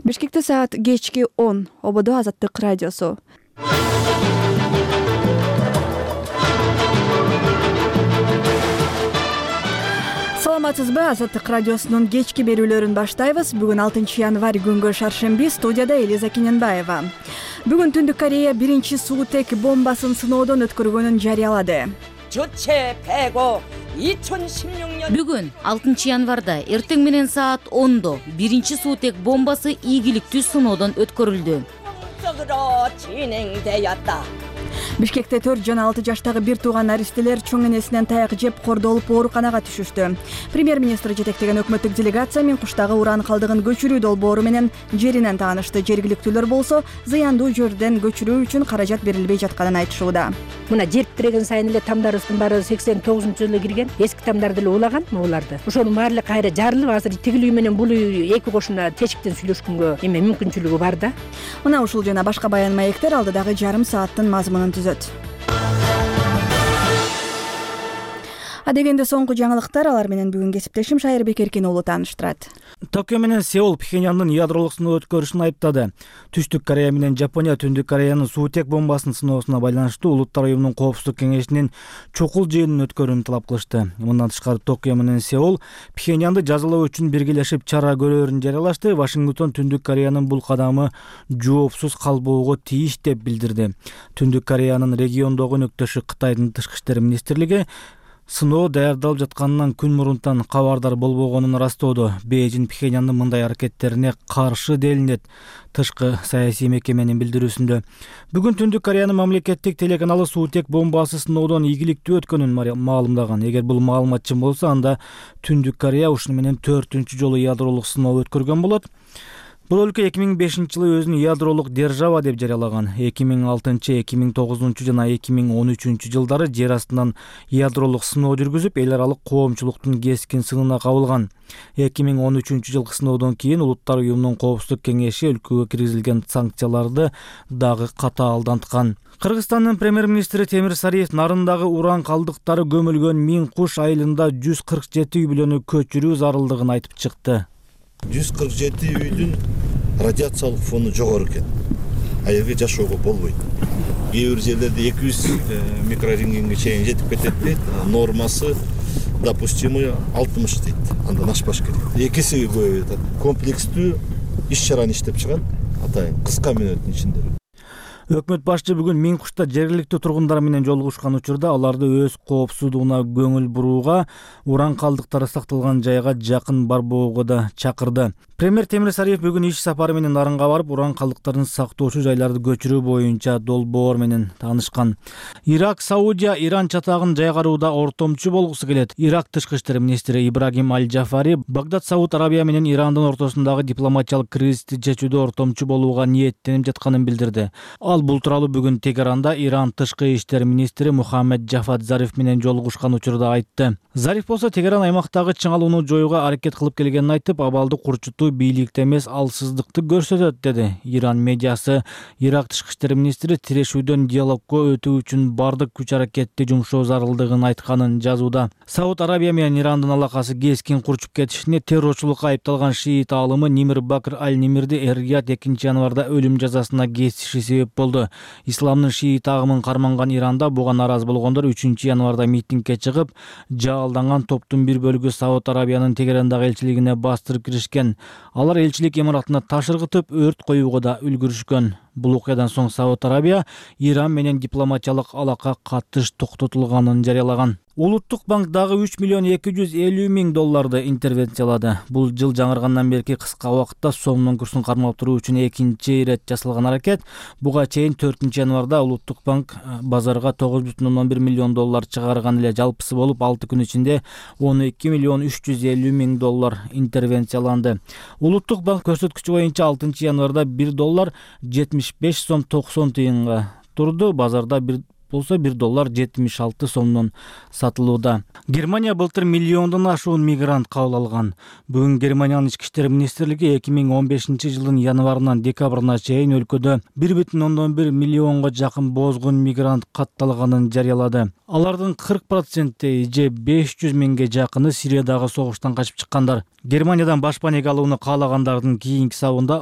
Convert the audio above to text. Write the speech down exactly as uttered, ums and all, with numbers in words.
Бишкекте саат кечки он. Ободо Азаттык радиосу. Саламатсызбы? Азаттык радиосунун кечки берүүлөрүн баштайбыз. Бүгүн алтынчы январь күнгө шаршемби. Студияда Элиза Киненбаева. Бүгүн Түндүк Корея биринчи суутек бомбасын сыноодон өткөргөнүн жарыялады. Бүгүн алтынчы январда эртең менен саат ондо биринчи суутек бомбасы ийгиликтүү сыноодон өткөрүлдү. Бишкекте төрт жана алты жаштагы бир тууган наристелер чоң энесинен таяк жеп кордолуп ооруканага түшүштү. Премьер-министр жетектеген өкмөттүк делегация мен куштагы уран калдыгын көчүрүү долбоору менен жеринен таанышты. Жергиликтүүлөр болсо зыяндуу жерден көчүрүү үчүн каражат берилбей жатканын айтышууда. Мына жер тиреген сайын эле тамдарыбыздын баары сексен тогузунчу жылы кирген. Эски тамдарды эле улаган могуларды. Ошонун баары эле кайра жарылып, азыр тигилүү менен бул эки кошуна тешиктен сүйлөшкөнгө эме мүмкүнчүлүгү бар да. Мына ушул жана башка баян маектер алдыдагы жарым сааттын мазмунун түзөт. Адегенде соңку жаңылыктар, алар менен бүгүн кесиптешим Шайырбек Эркен уулу тааныштырат. Токио менен Сеул Пхеньяндын ядролук сыноо өткөрүшүн айыптады. Түштүк Корея менен Жапония Түндүк Кореянын суутек бомбасын сыноосуна байланыштуу Улуттар уюмунун коопсуздук кеңешинин чукул жыйынын өткөрүүнү талап кылышты. Мындан тышкары Токио менен Сеул Пхеньянды жазалоо үчүн биргелешип чара көрөөрүн жарыялашты. Вашингтон Түндүк Кореянын бул кадамы жоопсуз калбоого тийиш деп билдирди. Түндүк Кореянын региондогу өнөктөшү Кытайдын тышкы иштер министрлиги сыноо даярдалып жатканынан күн мурунтан кабардар болбогонун ырастоодо. Бейжин Пхеньяндын мындай аракеттерине каршы делинет. Тышкы саясий мекеменин билдирүүсүндө бүгүн Түндүк Кореянын мамлекеттик телеканалы суутек бомбасы сыноодон ийгиликтүү өткөнүн маалымдаган. Эгер бул маалымат чын болсо, анда Түндүк Корея ушуну менен төртүнчү жолу ядролук сыноо өткөргөн болот. Бул өлкө эки миң бешинчи жылы өзүн ядролук держава деп жарыялаган. эки миң алтынчы, эки миң тогузунчу жана эки миң он үчүнчү жылдары жер астынан ядролук сыноо жүргүзүп, эл аралык коомчулуктун кескин сынына кабылган. эки миң он үчүнчү жылкы сыноодон кийин Улуттар уюмунун коопсуздук кеңеши өлкөгө киргизилген санкцияларды дагы катаалданткан. Кыргызстандын премьер-министри Темир Сариев Нарындагы уран калдыктары көмүлгөн Миң Куш айылында жүз кырк жети үй бүлөнү көчүрүү зарылдыгын айтып чыкты. жүз кырк жети үйдүн радиациялык фону жогору экен. А жерге жашоого болбойт. Кээ бир жерлерде эки жүз микрорентгенге чейин жетип кетет дейт. Нормасы допустимый алтымыш дейт. Андан ашпаш керек. Экиси көп айтат. Комплекстүү иш чараны иштеп чыгат. Атайын кыска мүнөттүн ичинде. Өкмөт башчы бүгүн Миң Кушта жергиликтүү тургундар менен жолугушкан учурда аларды өз коопсуздугуна көңүл бурууга, уран калдыктары сакталган жайга жакын барбоого да чакырды. Премьер Темир Сариев бүгүн иш сапары менен Нарынга барып, уран калдыктарын сактоочу жайларды көчүрүү боюнча долбоор менен таанышкан. Ирак, Саудия, Иран чатагын жайгарууда ортомчу болгусу келет. Ирак тышкы иштер министри Ибрагим Аль-Джафари Багдад, Сауд Арабия менен Ирандын ортосундагы дипломатиялык кризисти чечүүдө ортомчу болууга ниеттенип жатканын билдирди. Ал бул тууралуу бүгүн Тегеранда Иран тышкы иштер министри Мухаммед Джафад Зариф менен жолугушкан учурда айтты. Зариф болсо Тегеран аймактагы чыңалууну жоюуга аракет кылып келгенин айтып, абалды курчутуу бийликте эмес, алсыздыкты көрсөтөт деди. Иран медиасы Ирак тышкы иштер министри тирешүүдөн диалогко өтүү үчүн бардык күч аракетти жумшоо зарылдыгын айтканын жазууда. Сауд Арабия менен Ирандын алакасы кескин курчуп кетишине террорчулукка айыпталган шиит аалымы Нимир Бакр Аль-Нимирди Эр-Рияд экинчи январда өлүм жазасына кесиши себеп болду. Исламдын шиит агымын карманган Иранда буга наразы болгондор үчүнчү январда митингге чыгып, жаалданган топтун бир бөлүгү Сауд Арабиянын Тегерандагы элчилигине бастырып киришкен. Алар элчилик имаратына таш ыргытып, өрт коюуга да үлгүрүшкөн. Бул окуядан соң Сауд Арабия Иран менен дипломатиялык алака катыш токтотулганын жарыялаган. Улуттук банк дагы үч миллион эки жүз элүү миң долларды интервенциялады. Бул жыл жаңыргандан берки кыска убакытта сомдун курсун кармап туруу үчүн экинчи ирет жасалган аракет. Буга чейин төртүнчү январда Улуттук банк базарга тогуз бүтүн ондон бир миллион доллар чыгарган эле. Жалпысы болуп алты күн ичинде он эки миллион үч жүз элүү миң доллар интервенцияланды. Улуттук банк көрсөткүчү боюнча алтынчы январда бир доллар жетимиш беш сом токсон тыйынга турду. Базарда бир болсо бир доллар жетимиш алты сомдон сатылууда. Германия былтыр миллиондон ашуун мигрант кабыл алган. Бүгүн Германиянын ички иштер министрлиги эки миң он бешинчи жылдын январынан декабрына чейин өлкөдө бир бүтүн ондон бир миллионго жакын бозгун мигрант катталганын жарыялады. Алардын кырк проценти же беш жүз миңге жакыны Сириядагы согуштан качып чыккандар. Германиядан башпанеге алууну каалагандардын кийинки сабында